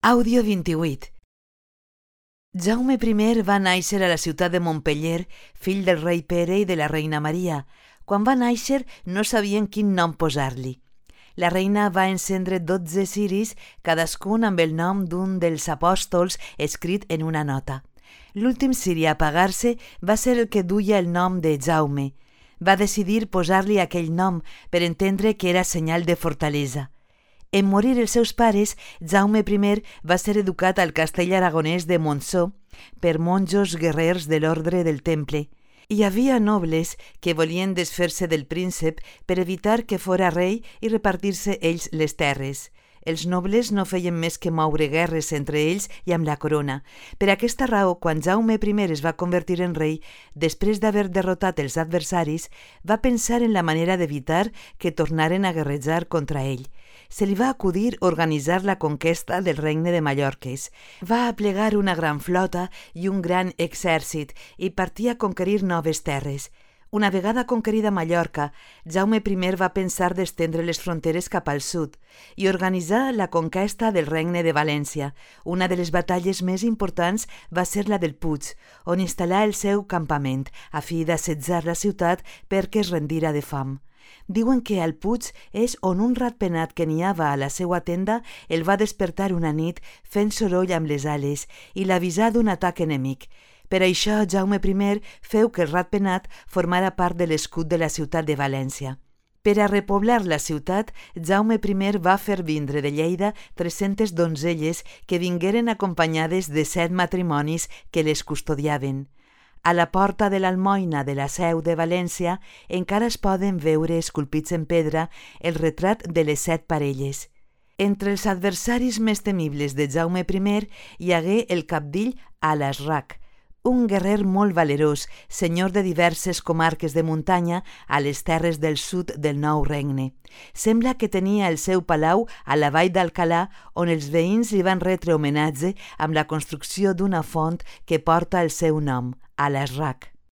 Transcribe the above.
Àudio 28. Jaume I va néixer a la ciutat de Montpeller, fill del rei Pere i de la reina Maria. Quan va néixer no sabien quin nom posar-li. La reina va encendre 12 ciris, cadascun amb el nom d'un dels apòstols escrit en una nota. L'últim ciri a apagar-se va ser el que duia el nom de Jaume. Va decidir posar-li aquell nom per entendre que era senyal de fortalesa. En morir els seus pares, Jaume I va ser educat al castell aragonès de Montsó per monjos guerrers de l'ordre del Temple. Hi havia nobles que volien desfer-se del príncep per evitar que fora rei i repartir-se ells les terres. Els nobles no feien més que moure guerres entre ells i amb la corona. Per aquesta raó, quan Jaume I es va convertir en rei, després d'haver derrotat els adversaris, va pensar en la manera d'evitar que tornaren a guerrejar contra ell. Se li va acudir organitzar la conquesta del regne de Mallorques. Va aplegar una gran flota i un gran exèrcit i partia a conquerir noves terres. Una vegada conquerida Mallorca, Jaume I va pensar d'estendre les fronteres cap al sud i organitzar la conquesta del regne de València. Una de les batalles més importants va ser la del Puig, on instal·là el seu campament, a fi d'assetjar la ciutat perquè es rendira de fam. Diuen que al Puig és on un ratpenat que niava a la seua tenda el va despertar una nit fent soroll amb les ales i l'avisà d'un atac enemic. Per això Jaume I feu que el ratpenat formara part de l'escut de la ciutat de València. Per a repoblar la ciutat, Jaume I va fer vindre de Lleida 300 donzelles que vingueren acompanyades de 7 matrimonis que les custodiaven. A la porta de l'Almoina de la Seu de València encara es poden veure esculpits en pedra el retrat de les 7 parelles. Entre els adversaris més temibles de Jaume I hi hagué el cabdill Alasrac, un guerrer molt valerós, senyor de diverses comarques de muntanya a les terres del sud del Nou Regne. Sembla que tenia el seu palau a la vall d'Alcalà, on els veïns li van retre homenatge amb la construcció d'una font que porta el seu nom, Alasrac.